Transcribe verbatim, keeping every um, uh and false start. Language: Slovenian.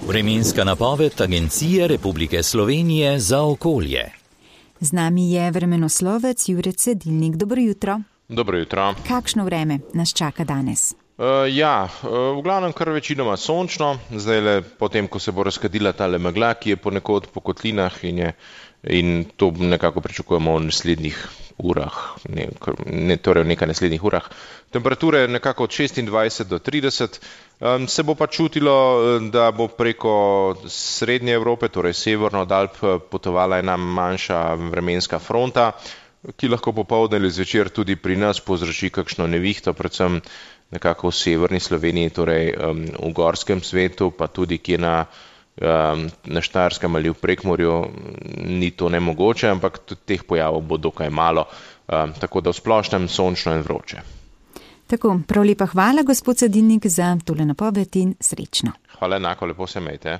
Vremenska napoved Agencije Republike Slovenije za okolje. Z nami je vremenoslovec Jure Cedilnik. Dobro jutro. Dobro jutro. Kakšno vreme nas čaka danes? Uh, ja, uh, v glavnem kar večinoma sončno, zdaj le potem, ko se bo razkadila tale megla, ki je ponekod po kotlinah in, je, in to nekako pričakujemo v naslednjih urah, ne, ne, torej v nekaj naslednjih urah. Temperature nekako od šestindvajset do trideset, um, se bo pa čutilo, da bo preko srednje Evrope, torej severno od Alp, potovala ena manjša vremenska fronta, ki lahko popoldne ali zvečer tudi pri nas povzroči kakšno nevihto, predvsem nekako v severni Sloveniji, torej um, v gorskem svetu, pa tudi kje na, um, na Štajerskem ali v Prekmurju ni to nemogoče, ampak teh pojavov bo dokaj malo, um, tako da v splošnem sončno in vroče. Tako, prav lepa hvala, gospod Cedilnik, za tole napoved in srečno. Hvala enako, lepo se imejte.